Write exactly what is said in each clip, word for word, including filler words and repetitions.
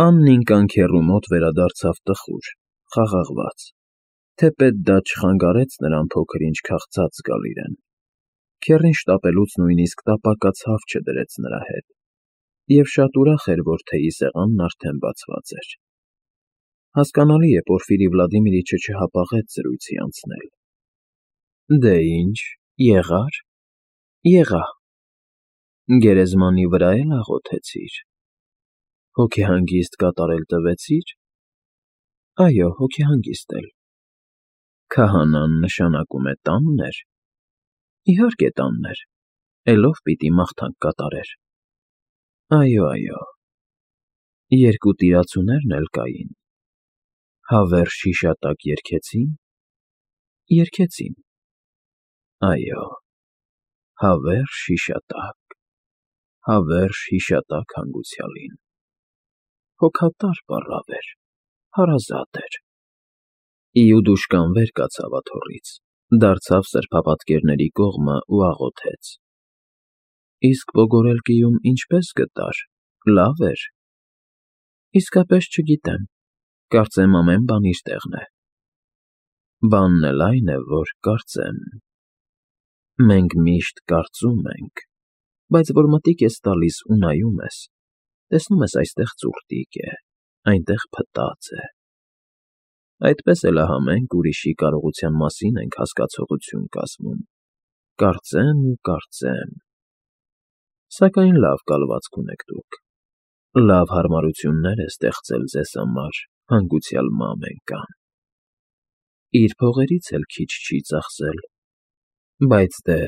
Աննին կանգ հեռու մոտ վերադարձավ տխուր, խաղաղված, թեպետ դա չխանգարեց նրան փոքր-ինչ քաղցած զգալ իրեն. քեռին շտապելուց նույնիսկ տապակած հավ չդրեց նրա հետ, և շատ ուրախ էր, որ թեյի սեղանն արդեն բացված էր. հասկանալի է, Պորֆիրի Վլադիմիրիչը չհապաղեց զրույցի անցնել։ Դե ինչ, եղա՞ր։ Եղա։ Գերեզմանի վրա էլ աղոթեցի՞ր։ Հոգեհանգիստ կատարել տվեցի՞ր։ Այո, հոգեհանգիստ էլ։ Քահանան, նշանակում է, տանն էր։ Իհարկե տանն էր, էլով պիտի մաղթանք կատարեր։ Այո, այո։ Երկու տիրացուներն էլ կային։ Հավերժ հիշատակ երգեցի՞ն։ Երգեցին։ Այո, հավերժ հիշատակ, հավերժ հիշատակ հանգուցյալին։ Հոգատար պառավ էր, հարազատ էր։ Իուդուշկան վեր կացավ աթոռից, դարձավ սրբապատկերների կողմը ու աղոթեց. Իսկ ողորելկիում ինչպե՞ս գտար, լավ էր։ Իսկապես չգիտեմ, կարծեմ ամեն բան իր տեղն է։ Բանն էլ այն է, որ կարծեմ։ Մենք միշտ կարծում ենք, բայց որ մտիկ ես տալիս ու նայում ես, տեսնում ես այստեղ ծուռտիկ է, այնտեղ փտած է։ Այդպես էլ ահա մենք ուրիշի կարողության մասին ենք հասկացողություն կազմում, կարծեմ ու կարծեմ։ Սակայն լավ կալվածք ունեք դուք, լավ հարմարություններ է ստեղծել ձեզ համար հանգուցյալ Մամենկան։ Իր փողերից էլ քիչ չի ծախսել, բայց դե,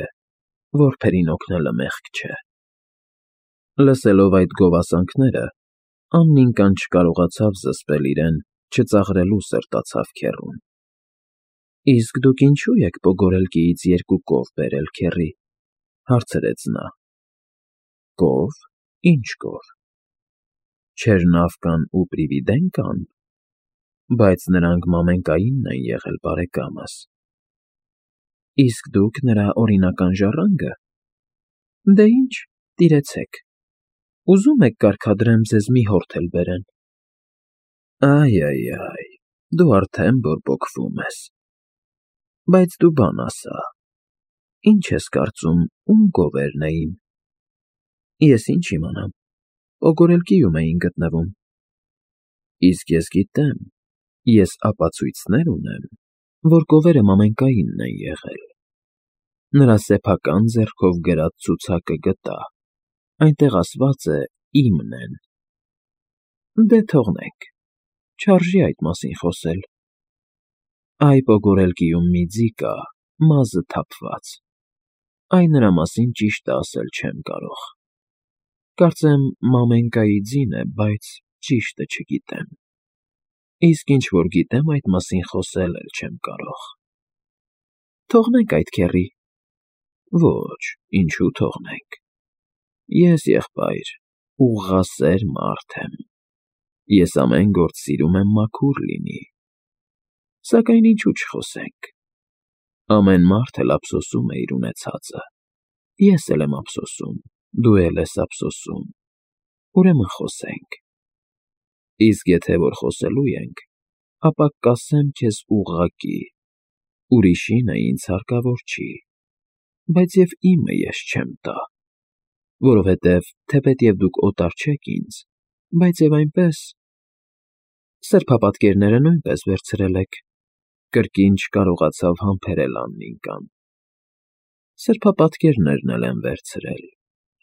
որբերին օգնելը մեղք չէ։ Լսելով այդ գովասանքները, Աննին կան չկարողացավ զսպել իրեն, չծաղրելու սրտացավ քեռուն։ Իսկ դուք ինչո՞ւ եք Պոգորելկիից երկու կով բերել, քեռի, հարցրեց նա։ Կով, ինչ կով։ Չերնավկան ու Պրիվիդենկան, բայց նրանք Մամենկայինն են եղել, բարեկամս։ Իսկ դուք նրա օրինական ժառանգը։ Դե ինչ, տիրեցեք։ Ուզում եք կարգադրեմ ձեզ մի հորթ էլ բերեն։ Այ֊այ֊այ, դու արդեն բորբոքվում ես։ Բայց դու բան ասա, ինչ ես կարծում, ում գովերն էին։ Ես ինչ իմանամ, Պոգորելկիում էին գտնվում։ Իսկ ես գիտեմ, ես ապացույցներ ունեմ, որ գովերը Մամենկայինն են եղել։ Նրա սեփական ձեռքով գրած ցուցակը գտա, այնտեղ ասված է իմն են։ Դե թողնենք, չարժի այդ մասին խոսել։ Այ Պոգորելկիում մի ձի կա, մազը թափված։ Այ նրա մասին ճիշտը ասել չեմ կարող։ Կարծեմ Մամենկայի ձին է, բայց ճիշտը չգիտեմ։ Իսկ ինչ որ գիտեմ, այդ մասին խոսել էլ չեմ կարող։ Թողնենք այդ քեռի։ Ոչ, ինչու թողնենք։ Ես, եղբայր, ուղղասեր մարդ եմ։ Ես ամեն գործ սիրում եմ մաքուր լինի։ Սակայն ինչու չխոսենք։ Ամեն մարդ էլ ափսոսում է իր ունեցածը։ Ես էլ եմ ափսոսում, դու էլ ես ափսոսում։ Ուրեմն խոսենք։ Իսկ եթե որ խոսելու ենք, ապա կասեմ քեզ ուղղակի, ուրիշին է ինձ հարկավոր չի, բայց և իմը ես չեմ տա, որովհետև թեպետև դուք օտար չեք ինձ, բայց և այնպես… Սրբապատկերները նույնպես վերցրել եք, կրկին չկարողացավ համբերել Աննին կան։ Սրբապատկերներն էլ եմ վերցրել,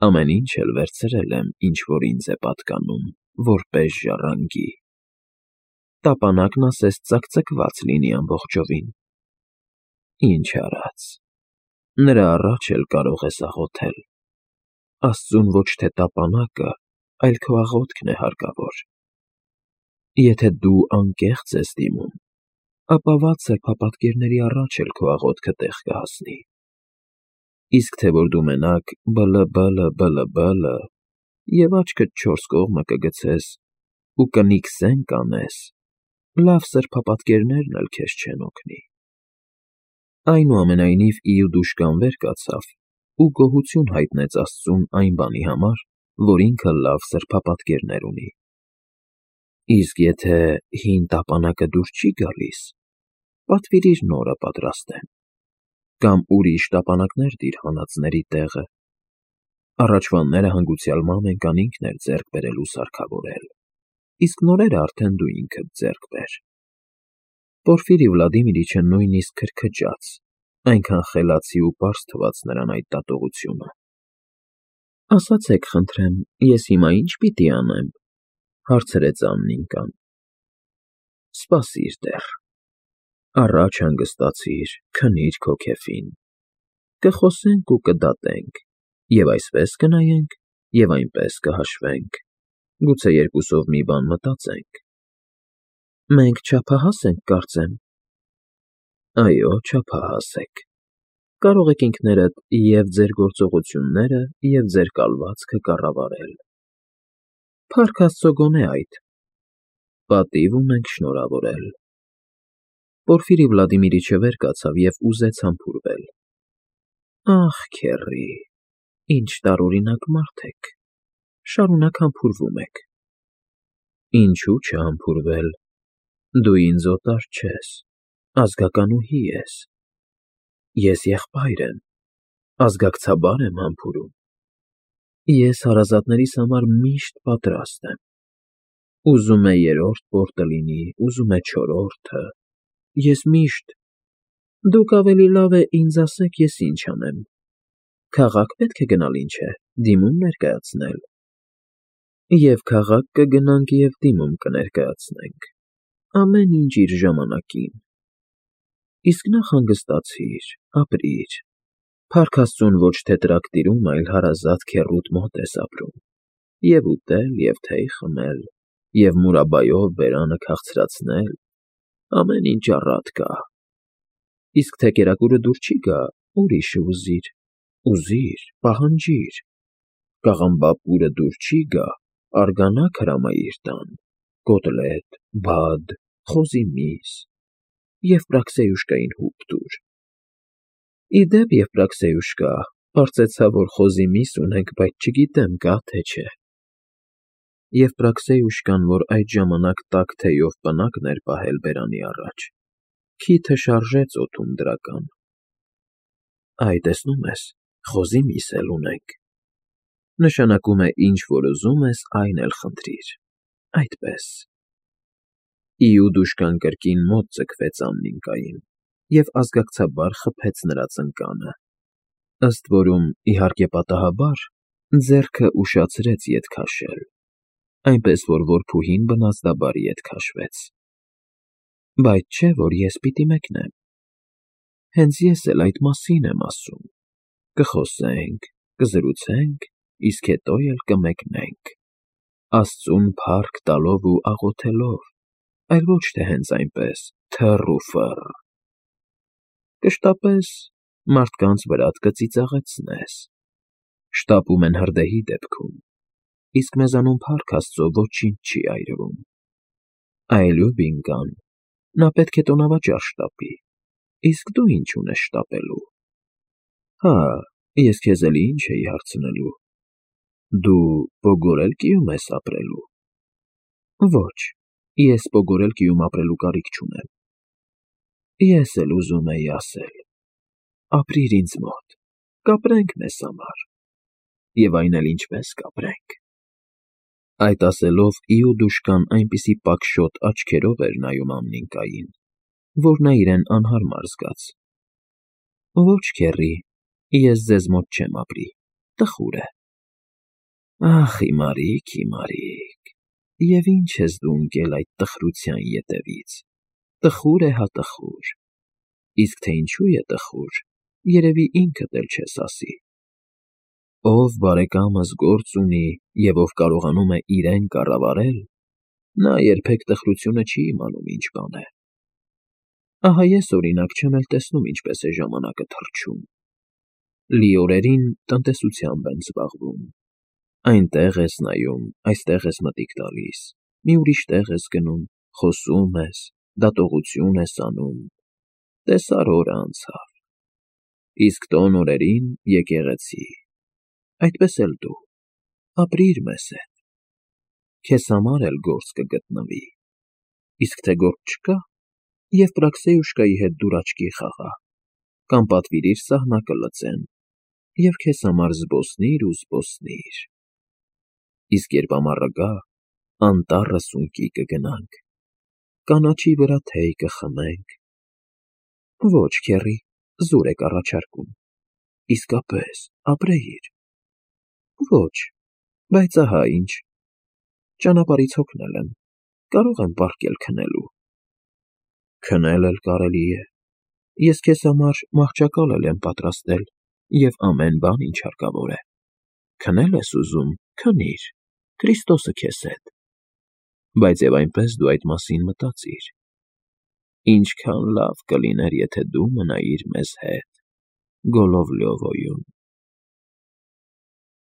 ամեն ինչ էլ վերցրել եմ, ինչ որ ինձ է պատկանում, որպես ժառանգի։ Տապանակն ասես ծակծկված լինի ամբողջովին։ Ինչ արած, նրա առաջ էլ կարող ես աղոթել։ Աստծուն ոչ թե տապանակը, այլ քո աղոթքն է հարկավոր։ Եթե դու անկեղծ ես դիմում, ապա վատ սրբապատկերների առաջ էլ քո աղոթքը տեղ կհասնի։ Իսկ թե որ դու մենակ բլ֊բլ֊բլ֊բլը և աչքդ չորս կողմը կգցես ու կնիկ զենք անես, լավ սրբապատկերներն էլ քեզ չեն օգնի։ Այնուամենայնիվ Իուդուշկան վեր կացավ ու գոհություն հայտնեց Աստծուն այն բանի համար, որ ինքը լավ սրբապատկերներ ունի։ Իսկ եթե հին տապանակը դուր չի գալիս, պատվիրիր նորը պատրաստեմ, կամ ուրիշ տապանակներ դիր հանածների տեղը. առաջվանները հանգուցյալ մամենկան ինքն էր ձեռք բերել ու սարքավորել, իսկ նորերը արդեն դու ինքդ ձեռք բեր։ Պորֆիրի Վլադիմիրիչը նույնիսկ քրքջաց, այնքան խելացի ու պարզ թվաց նրան այդ դատողությունը։ Ասացեք, խնդրեմ, ես հիմա ի՞նչ պիտի անեմ, հարցրեց Աննիկան։ Սպասիր դեռ, առաջ հանգստացիր, քնիր քո քեֆին, կխոսենք ու կդատենք, և այսպես կնայենք, և այնպես կհաշվենք, գուցե երկուսով մի բան մտածենք։ Մենք չափահաս ենք, կարծեմ։ Այո, չափահաս եք, կարող եք ինքներդ և ձեր գործողությունները, և ձեր կալվածքը կառավարել։ Փառք Աստծո գոնե այդ։ Պատիվ ունենք շնորհավորել։ Պորֆիրի Վլադիմիրիչը վեր կացավ և ուզեց համբուրվել։ Ախ, քեռի, ինչ տարօրինակ մարդ եք, շարունակ համբուրվում եք։ Ինչու չհամբուրվել, դու ինձ օտար չես, ազգականուհի ես։ Ես եղբայր եմ, ազգակցաբար եմ համբուրում։ Ես հարազատներիս համար միշտ պատրաստ եմ։ Ուզում է երրորդ պորտը լինի, ուզում է չորրորդը, ես միշտ… Դուք ավելի լավ է ինձ ասեք, ես ինչ անեմ, քաղաք պետք է գնալ, ինչ է, դիմում ներկայացնել։ Եվ քաղաք կգնանք, և դիմում կներկայացնենք, ամեն ինչ իր ժամանակին։ Իսկ նախ հանգստացիր, ապրիր, փառք Աստծուն ոչ թե տրակտիրում, այլ հարազատ քեռուդ մոտ ես ապրում, և ուտել, և թեյ խմել, և մուրաբայով բերանը քաղցրացնել, ամեն ինչ առատ կա։ Իսկ թե կերակուրը դուր չի գա, ուրիշը ուզիր, ուզիր, պահանջիր, կաղամբապուրը դուր չի գա, արգանակ հրամայիր տան, կոտլետ, բադ, խոզի միս, Եվպրաքսեյուշկային հուպ տուր։ Ի դեպ, Եվպրաքսեյուշկա, պարծեցա, որ խոզի միս ունեք, բայց չգիտեմ կա, թե չէ։ Եվպրաքսեյուշկան, որ այդ ժամանակ տաք թեյով պնակն էր պահել բերանի առաջ, քիթը շարժեց օդում դրական։ Այ, տեսնում ես, խոզի միս էլ ունենք։ Նշանակում է ինչ որ ուզում ես, այն էլ խնդրիր, այդպես։ Իուդուշկան կրկին մոտ ձգվեց Աննիկային և ազգակցաբար խփեց նրա ծնկանը, ըստ որում, իհարկե պատահաբար, ձեռքը ուշացրեց ետ քաշել, այնպես որ որբուհին բնազդաբար ետ քաշվեց։ Բայց չէ, որ ես պիտի մեկնեմ։ Հենց ես էլ այդ մասին եմ ասում, կխոսենք, կզրուցենք, իսկ հետո էլ կմեկնենք, Աստծուն փառք տալով ու աղոթելով, այլ ոչ թե հենց այնպես, թռ ու ֆռ։ Կշտապես մարդկանց վրադ կծիծաղեցնես, շտապում են հրդեհի դեպքում, իսկ մեզանում փառք Աստծո ոչինչ չի այրվում։ Այլուբինկան, նա պետք է տոնավաճառ շտապի, իսկ դու ինչ ունես շտապելու։ Հա, ես քեզ էլի ինչ էի հարցնելու. դու Պոգորելկիում ես ապրելու։ Ոչ, ես Պոգորելկիում ապրելու կարիք չունեմ։ Ես էլ ուզում էի ասել. ապրիր ինձ մոտ, կապրենք մեզ համար, և այն էլ ինչպես կապրենք։ Այդ ասելով Իուդուշկան այնպիսի պակշոտ աչքերով էր նայում Աննիկային, որ նա իրեն անհարմար զգաց։ Ոչ, քեռի, ես ձեզ մոտ չեմ ապրի, տխուր է։ Ախ, հիմարիկ, հիմարիկ, և ինչ ես դու ընկել այդ տխրության ետևից, տխուր է հա տխուր, իսկ թե ինչու է տխուր, երևի ինքդ էլ չես ասի։ Ով բարեկամս գործ ունի և ով կարողանում է իրեն կառավարել, նա երբեք տխրությունը չի իմանում ինչ բան է։ Ահա ես, օրինակ, չեմ էլ տեսնում ինչպես է ժամանակը թռչում։ Լի օրերին տնտեսությամբ եմ զբաղվում, այնտեղ ես նայում, այստեղ ես մտիկ տալիս, մի ուրիշ տեղ ես գնում, խոսում ես, դատողություն ես անում, տեսար օրը անցավ։ Իսկ տոն օրերին եկեղեցի, այդպես էլ դու, ապրիր մեզ հետ։ քեզ համար էլ գործ կգտնվի, իսկ թե գործ չկա, և Պրաքսեյուշկայի հետ դուր աչքի խաղա, կամ պատվիրիր սահնակը լծեն, և քեզ համար զբոսնիր ու զբոսնիր, իսկ երբ ամառը գա, անտառը սունկի կգնանք, կանաչի վրա թեյ կխմենք։ Ոչ, քեռի, զուր եք առաջարկում, իսկապես, ապրեիր։ Ոչ, բայց ահա ինչ, ճանապարհից հոգնել եմ, կարող եմ պառկել քնելու։ Քնել էլ կարելի է, ես քեզ համար մահճակալ էլ եմ պատրաստել և ամեն բան, ինչ հարկավոր է, քնել ես ուզում, քնիր, Քրիստոսը քեզ հետ, բայց և այնպես դու այդ մասին մտածիր. ինչքան լավ կլիներ, եթե դու մնայիր մեզ հետ, Գոլլովլյովոյում։